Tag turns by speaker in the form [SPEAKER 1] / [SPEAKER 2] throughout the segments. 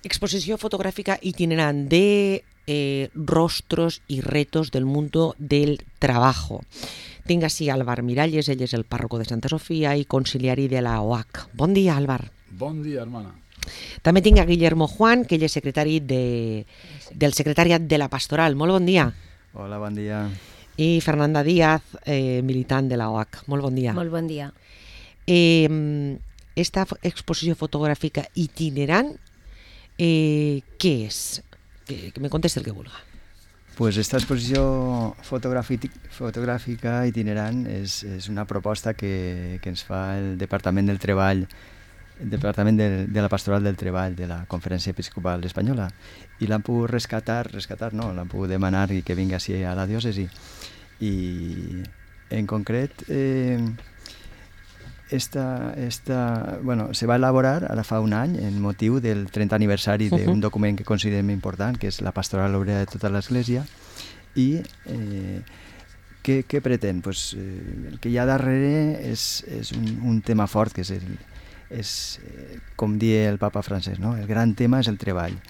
[SPEAKER 1] exposició fotográfica itinerante de rostros y retos del mundo del trabajo. Tinc així Álvar Miralles, ell és el párroco de Santa Sofía i conciliari de la OAC. Bon dia, Álvar.
[SPEAKER 2] Bon dia, hermana.
[SPEAKER 1] També tinc a Guillermo Juan, que ell és secretari del secretariat de la Pastoral. Molt bon dia.
[SPEAKER 3] Hola, bon dia.
[SPEAKER 1] I Fernanda Díaz, militant de la OAC. Molt bon dia.
[SPEAKER 4] Molt bon dia.
[SPEAKER 1] Esta exposició fotogràfica itinerant, què és? Que me contesti el que vulga.
[SPEAKER 3] Pues esta exposició fotogràfica itinerant és una proposta que ens fa el Departament del Treball, el Departament de la Pastoral del Treball de la Conferència Episcopal Espanyola, i l'han pogut rescatar no, l'han pogut demanar que vingui així a la diòcesi. I en concret se va elaborar ara fa un any en motiu del 30 aniversari d'un document que considerem important, que és la Pastoral Obrera de tota l'Església. I què pretén? Pues, el que hi ha darrere és un tema fort, que és com dia el papa francès, no? El gran tema és el treball.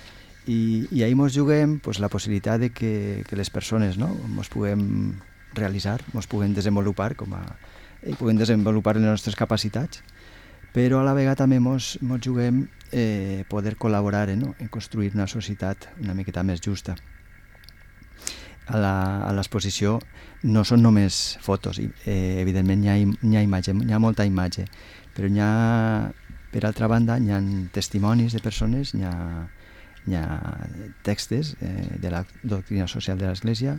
[SPEAKER 3] I ahí ens juguem pues, la possibilitat de que les persones ens puguem realitzar, ens puguem desenvolupar i puguem desenvolupar les nostres capacitats, però a la vegada també ens juguem poder col·laborar en construir una societat una miqueta més justa. A l'exposició no són només fotos, evidentment hi ha imatge, hi ha molta imatge, però per altra banda hi ha testimonis de persones, hi ha textos de la doctrina social de l'Església,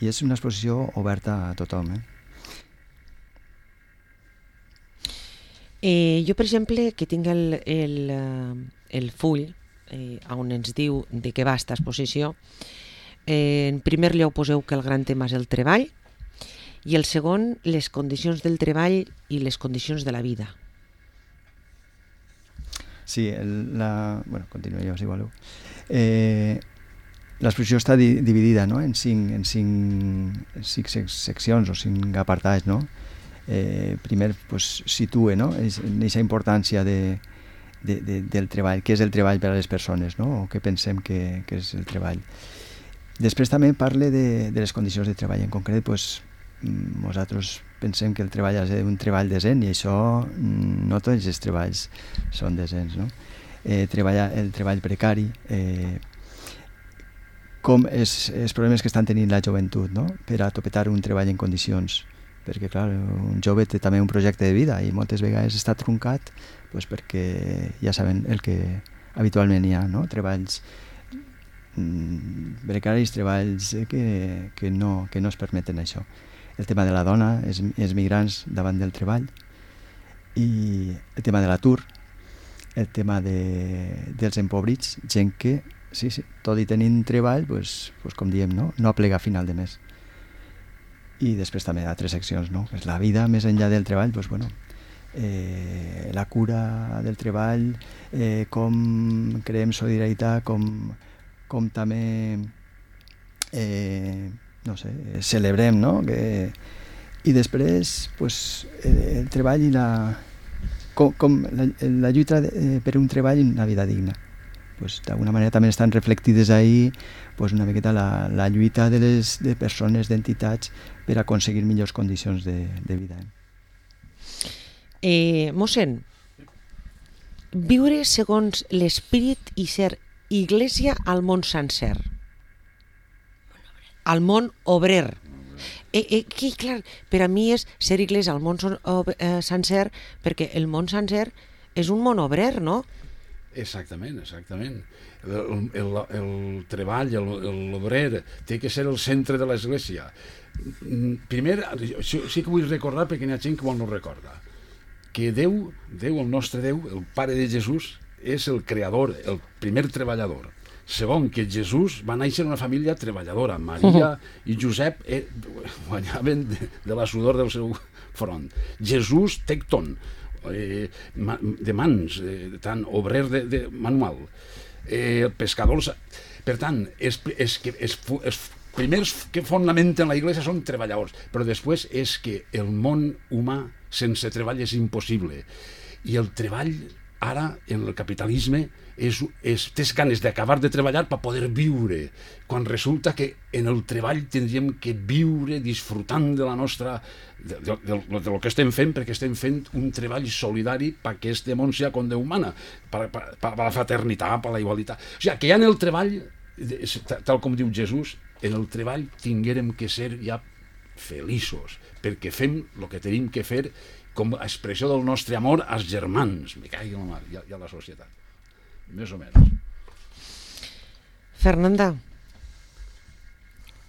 [SPEAKER 3] i és una exposició oberta a tothom.
[SPEAKER 1] Jo, per exemple, que tinc el full on ens diu de què va aquesta exposició, en primer lloc poseu que el gran tema és el treball i el segon, les condicions del treball i les condicions de la vida.
[SPEAKER 3] Sí, continuo jo, si voleu. L'exposició està dividida en cinc seccions o 5 apartats, no? Primer situa aquesta importància del treball, què és el treball per a les persones, no? O què pensem que és el treball. Després també parla de les condicions de treball. En concret, nosaltres pensem que el treball ha de ser un treball decent, i això no tots els treballs són decents, no? El treball precari, com els problemes que estan tenint la joventut, no? Per a topetar un treball en condicions, perquè clar, un jove té també un projecte de vida i moltes vegades està truncat perquè ja saben el que habitualment hi ha, no? Treballs precaris, treballs que no es permeten això. El tema de la dona, els migrants davant del treball, i el tema de l'atur, el tema dels empobrits, gent que, sí, tot i tenint treball, com diem, no aplega a final de mes. I després també altres seccions, no? És la vida més enllà del treball, la cura del treball, com creem solidaritat, com també celebrem, no? I després el treball i la lluita per un treball i una vida digna. D'alguna manera també estan reflectides ahí una miqueta la lluita de persones, d'entitats, per aconseguir millors condicions de vida.
[SPEAKER 1] Mossèn, viure segons l'esperit i ser Iglesia al món sencer, al món obrer. Clar, per a mi és ser Iglesia al món sencer, perquè el món sencer és un món obrer, no?
[SPEAKER 2] Exactament. El treball, l'obrer, té que ser el centre de l'Església. Primer, sí que vull recordar, perquè hi ha gent que no recorda, que Déu, el nostre Déu, el Pare de Jesús, és el creador, el primer treballador. Segon, que Jesús va néixer en una família treballadora. Maria i Josep guanyaven de la sudor del seu front. Jesús tecton, de mans, tant obrer de manual. Pescadors. Per tant, els primers que fonamenten la Iglesia són treballadors, però després és que el món humà sense treball és impossible. I el treball ara en el capitalisme tens ganes d'acabar de treballar per poder viure, quan resulta que en el treball tindríem que viure disfrutant de la nostra de lo que estem fent, perquè estem fent un treball solidari perquè este món sia com Déu mana, per la fraternitat, per la igualtat. O sigui, que ja en el treball, tal com diu Jesús, en el treball tinguérem que ser ja feliços, perquè fem el que tenim que fer com a expressió del nostre amor als germans, me caigui la mar, i a la societat. Més o menys.
[SPEAKER 1] Fernanda,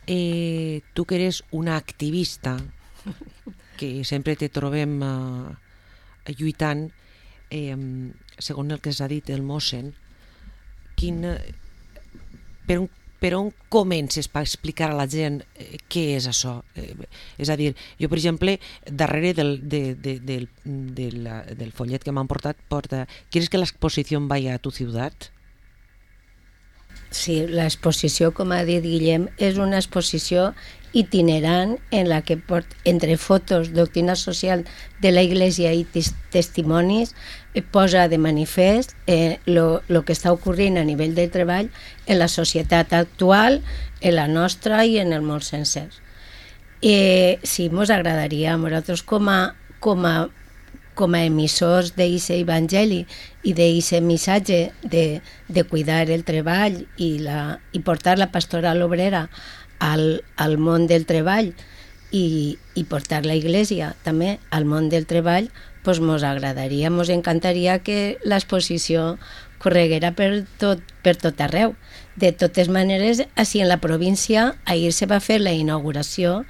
[SPEAKER 1] tu que eres una activista, que sempre te trobem lluitant, segons el que s'ha dit el mossen, per on comences per explicar a la gent què és això? És a dir, jo, per exemple, darrere del follet que m'han portat, ¿quieres que la exposición vaya a tu ciutat?
[SPEAKER 4] Sí, l'exposició, com ha dit Guillem, és una exposició itinerant en la que entre fotos, doctrina social de la Iglesia i testimonis posa de manifest lo que està ocorrint a nivell de treball en la societat actual, en la nostra i en el món sencer. Sí, ens agradaria a nosaltres com a emissors d'aquest evangeli i d'aquest missatge de cuidar el treball i portar la pastoral obrera al món del treball i portar la Iglesia també al món del treball, doncs ens agradaria, ens encantaria que l'exposició correguera per tot arreu. De totes maneres, així en la província, ahir se va fer la inauguració,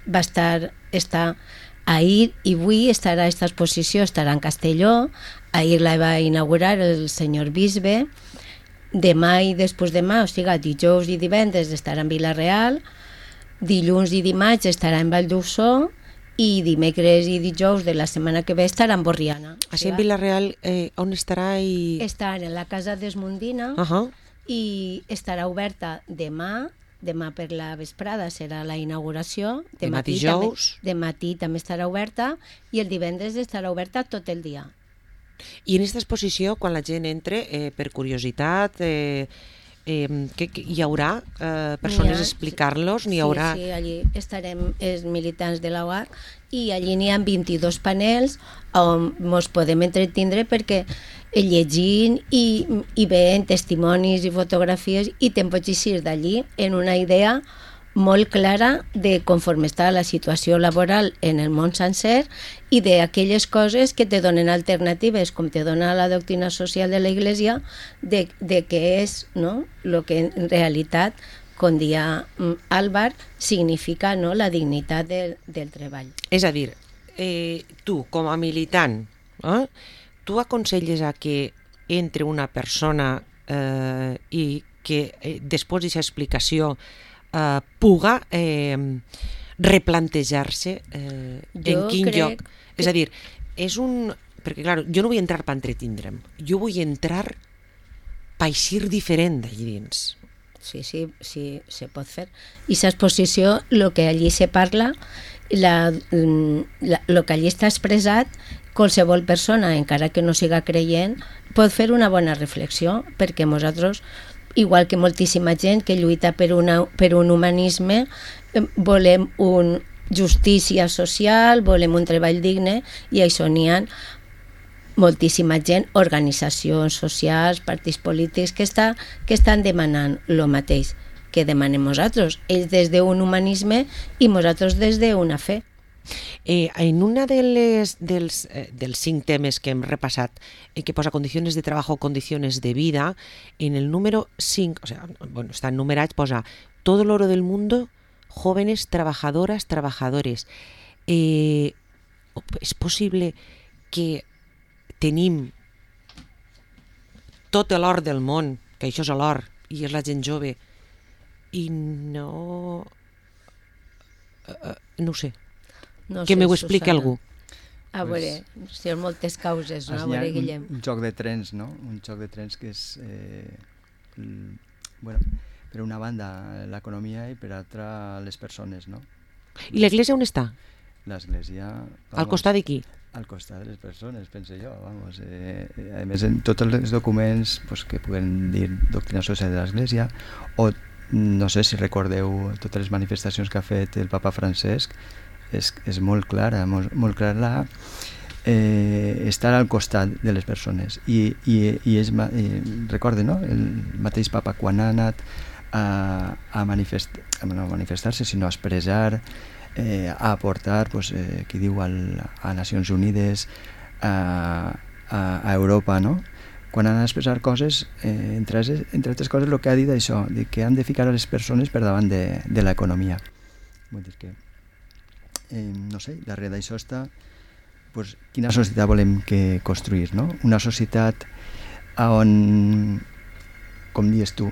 [SPEAKER 4] està ahir i avui estarà aquesta exposició, estarà en Castelló, ahir la va inaugurar el senyor bisbe, demà i després demà, o sigui, dijous i divendres estarà en Vila-real, dilluns i dimarts estarà en Valldosó i dimecres i dijous de la setmana que ve estarà en Borriana.
[SPEAKER 1] Així en Vila-real, on estarà?
[SPEAKER 4] Estarà en la Casa d'Esmundina i estarà oberta demà per la vesprada serà la inauguració.
[SPEAKER 1] Demà dijous.
[SPEAKER 4] De matí també estarà oberta i el divendres estarà oberta tot el dia.
[SPEAKER 1] I en aquesta exposició, quan la gent entre, per curiositat, hi haurà persones a explicar-los?
[SPEAKER 4] Sí, allí estarem els militants de la UAC i allí n'hi ha 22 panels on ens podem entretindre perquè llegint i veient testimonis i fotografies i te'n pots eixir d'allí en una idea molt clara de conforme està la situació laboral en el món sencer i d'aquelles coses que te donen alternatives, com te dona la doctrina social de la Iglesia, de què és el que en realitat, com dia Álvar, significa la dignitat del treball.
[SPEAKER 1] És a dir, tu, com a militant, tu aconselles a que entre una persona i que després d'aquesta explicació puga replantejar-se en quin lloc. És a dir, perquè clar, jo no vull entrar per entretindre'm, jo vull entrar per eixir diferent d'allí dins.
[SPEAKER 4] Sí, se pot fer. I l'exposició, el que allí se parla, el que allí està expressat, qualsevol persona, encara que no siga creient, pot fer una bona reflexió, perquè nosaltres, igual que moltíssima gent que lluita per un humanisme, volem una justícia social, volem un treball digne, i això n'hi ha moltíssima gent, organitzacions socials, partits polítics que estan demanant el mateix que demanem nosaltres, ells des d'un humanisme i nosaltres des d'una fe.
[SPEAKER 1] En una dels 5 temes que hem repassat, que posa condiciones de trabajo, condiciones de vida, en el número 5, o sea, bueno, está enumerat, posa todo el oro del mundo, jóvenes, trabajadoras, trabajadores. És possible que tenim tot l'or del món, que això és l'or i és la gent jove, i no ho sé. Que m'ho expliqui algú.
[SPEAKER 4] A veure, si hi ha moltes causes, no? A veure, Guillem.
[SPEAKER 3] Un joc de trens, no? Un joc de trens que és, per una banda, l'economia i per altra, les persones, no?
[SPEAKER 1] I l'església on està?
[SPEAKER 3] L'església...
[SPEAKER 1] Al costat d'aquí?
[SPEAKER 3] al costat de les persones, penso jo, vamos. A més, en tots els documents pues, que puguen dir doctrina social de l'Església, o no sé si recordeu totes les manifestacions que ha fet el papa Francesc, és molt clara, molt clara estar al costat de les persones. I recorde, no? El mateix papa quan ha anat a manifestar-se, sinó a expressar, a aportar, pues, qui diu a Nacions Unides, a Europa, no? Quan han d'expressar coses, entre altres coses, el que ha dit això, de que han de ficar a les persones per davant de l'economia. Vull dir que, no sé, darrere d'això està pues, quina societat volem que construir, no? Una societat on, com dius tu,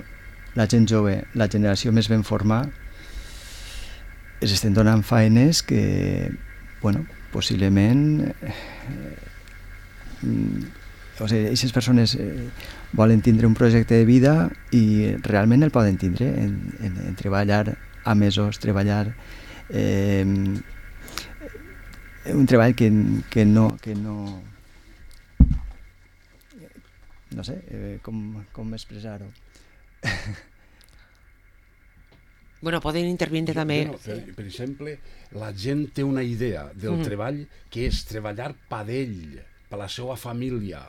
[SPEAKER 3] la gent jove, la generació més ben formada, es estem donant feines que, bueno, possiblement o sigui, aquestes persones volen tindre un projecte de vida i realment el poden tindre en treballar a mesos, treballar un treball que no no sé com expressar-ho.
[SPEAKER 1] Bueno, poden intervindre també...
[SPEAKER 2] Per exemple, la gent té una idea del treball que és treballar per ell, per la seva família.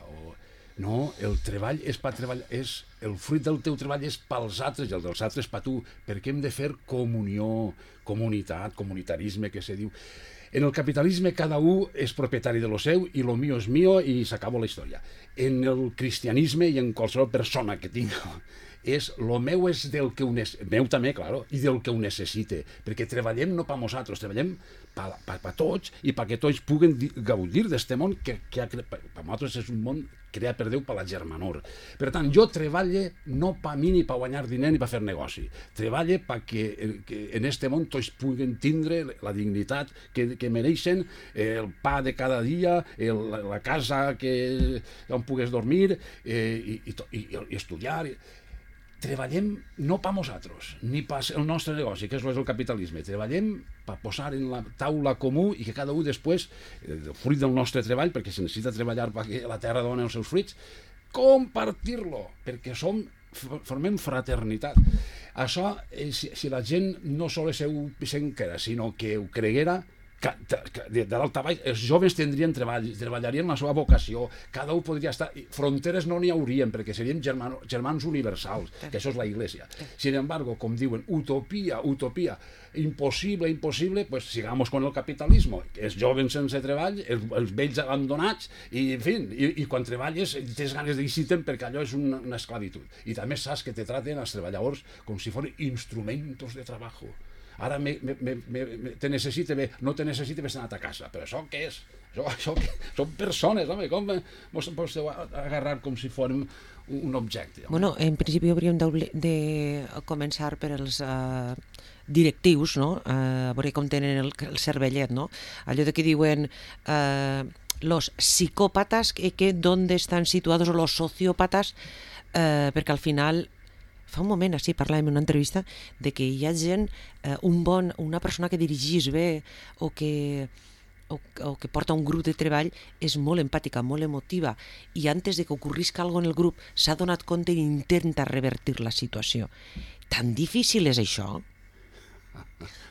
[SPEAKER 2] No, el treball és per treballar, el fruit del teu treball és pels altres i el dels altres per tu, perquè hem de fer comunió, comunitat, comunitarisme, que se diu. En el capitalisme cada un és propietari de lo seu i lo mío és mío i s'acaba la història. En el cristianisme i en qualsevol persona que tinc lo meu és del que meu també, claro, i del que ho necessite, perquè treballem no per nosaltres, treballem per tots i perquè tots puguen gaudir d'aquest món que per nosaltres és un món creat per Déu per la germanor. Per tant, jo treballe no per mi ni per guanyar diner ni per fer negoci, treballe perquè en aquest món tots puguen tindre la dignitat que mereixen, el pa de cada dia, la casa on pugues dormir i estudiar. Treballem no per nosaltres, ni per el nostre negoci, que és el capitalisme. Treballem per posar en la taula comú i que cada un després, el fruit del nostre treball, perquè se necessita treballar perquè la terra doni els seus fruits, compartir-lo, perquè formem fraternitat. Això, si la gent no sols ho pensera, sinó que ho creguera, de dalt a baix, els joves tindrien treball, treballarien la seva vocació, cada un podria estar... Fronteres no n'hi haurien, perquè seríem germans universals, que això és la Iglesia. Sin embargo, com diuen, utopia, impossible, pues sigamos con el capitalismo. Els joves sense treball, els vells abandonats, i en fi, i quan treballes tens ganes d'eixir-te'n perquè allò és una esclavitud. I també saps que te traten els treballadors com si fossin instrumentos de treball. Ara te necessite bé, no te necessite bé anar a casa, però això què és? Són persones, home, com mos podeu agarrar com si fórem un objecte?
[SPEAKER 1] Bueno, en principi hauríem de començar per els directius, no? A veure com tenen el cervellet, no? Allò de que diuen los psicòpatas que d'on estan situats, o los sociópatas, perquè al final... Fa un moment, així, parlàvem en una entrevista de que hi ha gent, una persona que dirigís bé o que porta un grup de treball és molt empàtica, molt emotiva, i antes de que ocorrisca alguna cosa en el grup s'ha donat compte i intenta revertir la situació. Tan difícil és això?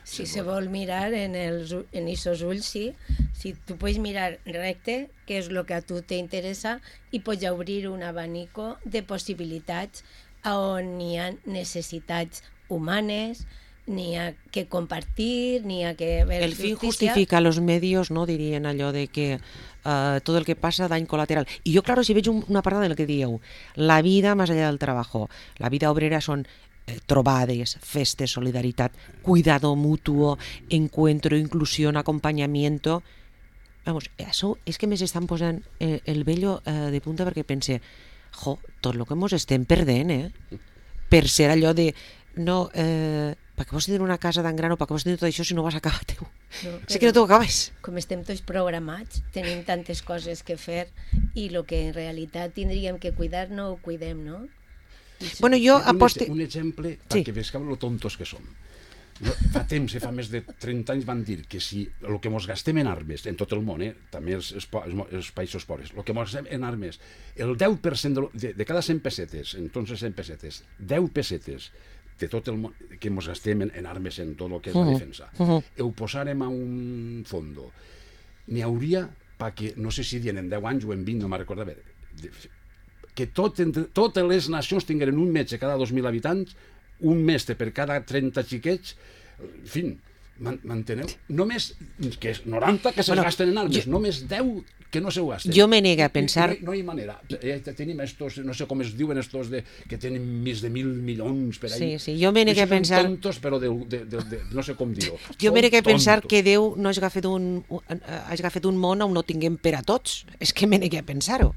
[SPEAKER 4] Si se vol mirar en aquests ulls, sí. Si tu pots mirar recte, què és el que a tu t'interessa, i pots obrir un abanico de possibilitats on hi ha necessitats humanes, n'hi ha que compartir, n'hi ha que ver
[SPEAKER 1] el fin justifica los medios, no? Dirien allò de que tot el que passa dany colateral. I jo, claro, si veig una part del que dieu, la vida más allá del trabajo, la vida obrera són trobades, festes, solidaritat, cuidado mutuo, encuentro, inclusión, acompañamiento. Vamos, això és que més estan posant el vello de punta, perquè pense, tot el que ens estem perdent, per ser allò de no, per què vols tenir una casa tan gran o per què vols tenir tot això si no vas acabar teu? És que no t'ho acabes.
[SPEAKER 4] Com estem tots programats, tenim tantes coses que fer i el que en realitat tindríem que cuidar no ho cuidem, no?
[SPEAKER 1] Bueno, jo aposte...
[SPEAKER 2] Un exemple perquè veus lo tontos que som. Fa temps, fa més de 30 anys van dir que si el que ens gastem en armes, en tot el món, també els països pobres, el que ens gastem en armes, el 10% de cada 100 pessetes, en tots els 100 pessetes, 10 pessetes de tot el món que ens gastem en armes, en tot el que és la defensa, ho posarem a un fondo, n'hi hauria, perquè no sé si dient en 10 anys o en 20, no me'n recordo bé, que totes les nacions tingueren un metge cada 2.000 habitants, un mestre per cada 30 xiquets, en fi, m'enteneu? Només que és 90 que se gasten en armes, només 10 que no se ho gasten.
[SPEAKER 1] Jo me nega a pensar...
[SPEAKER 2] No hi ha manera. Tenim estos, no sé com es diuen estos que tenen més de 1.000 milions per ahí.
[SPEAKER 1] Sí, jo me nega a pensar...
[SPEAKER 2] Són tontos, però no sé com dir-ho.
[SPEAKER 1] Jo me nega a pensar que Déu no hagi agafat un món on no tinguem per a tots. És que me nega a pensar-ho.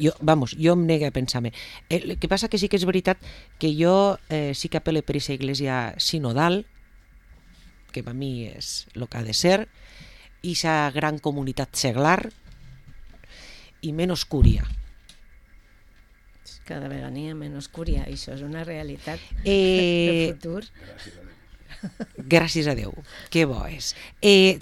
[SPEAKER 1] Jo em nega a pensar-me. El que passa que sí que és veritat que jo sí que apel·le per aquesta església sinodal, que per mi és el que ha de ser, i aquesta gran comunitat seglar, i menys cúria.
[SPEAKER 4] Cada vegada n'hi ha menys cúria, i això és una realitat del futur.
[SPEAKER 1] Gràcies a Déu, que bo és.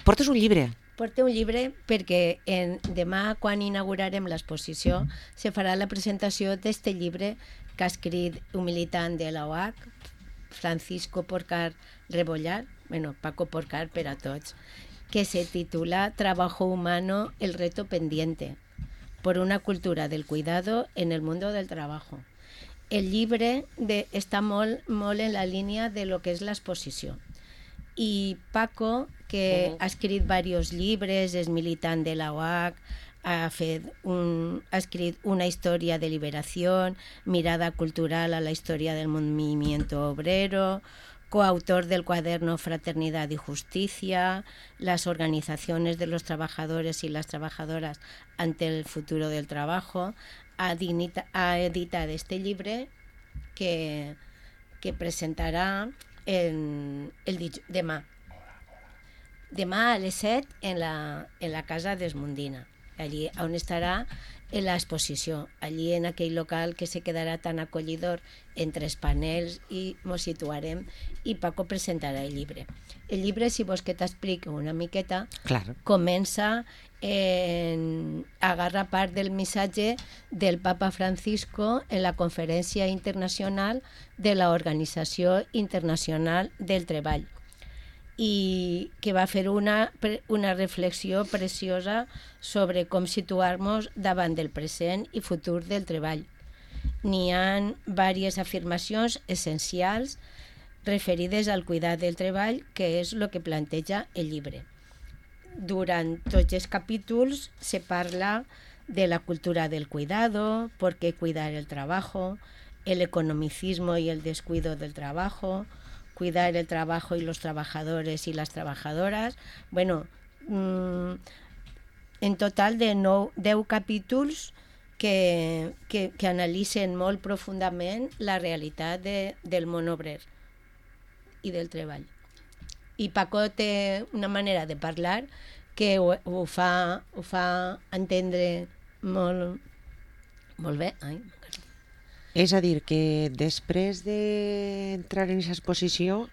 [SPEAKER 1] Portes un llibre.
[SPEAKER 4] Porto un llibre perquè demà, quan inaugurarem l'exposició, se farà la presentació d'este llibre que ha escrit un militant de la OAC, Francisco Porcar Rebollar, Paco Porcar per a tots, que se titula Trabajo humano, el reto pendiente, por una cultura del cuidado en el mundo del trabajo. El llibre està molt en la línia de lo que és l'exposició. I Paco, que ha escrit diversos llibres, és militant de la OAC, ha escrit una història de liberació, mirada cultural a la història del movimiento obrero, coautor del cuaderno Fraternidad y Justicia, las organizaciones de los trabajadores y las trabajadoras ante el futuro del trabajo, ha editado este llibre que presentarà demà. Demà a les 7 en la Casa d'Esmondina, allí on estarà l'exposició, allí en aquell local que se quedarà tan acollidor entre els panels, i ens situarem i Paco presentarà el llibre. El llibre, si vols que t'expliqui una miqueta, comença agarra part del missatge del Papa Francisco en la Conferència Internacional de la Organització Internacional del Treball, i que va fer una reflexió preciosa sobre com situar-nos davant del present i futur del treball. N'hi ha diverses afirmacions essencials referides al cuidat del treball, que és el que planteja el llibre. Durant tots els capítols se parla de la cultura del cuidado, por qué cuidar el trabajo, el economicismo y el descuido del trabajo, cuidar el trabajo y los trabajadores y las trabajadoras. En total de 10 capítols que analitzen molt profundament la realitat del món obrer i del treball. I Paco té una manera de parlar que ho fa entendre molt bé.
[SPEAKER 1] És a dir, que després d'entrar en aquesta exposició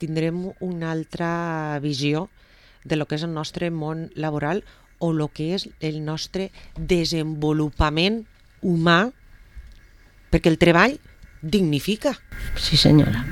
[SPEAKER 1] tindrem una altra visió de lo que és el nostre món laboral o el que és el nostre desenvolupament humà, perquè el treball dignifica.
[SPEAKER 4] Sí, senyora.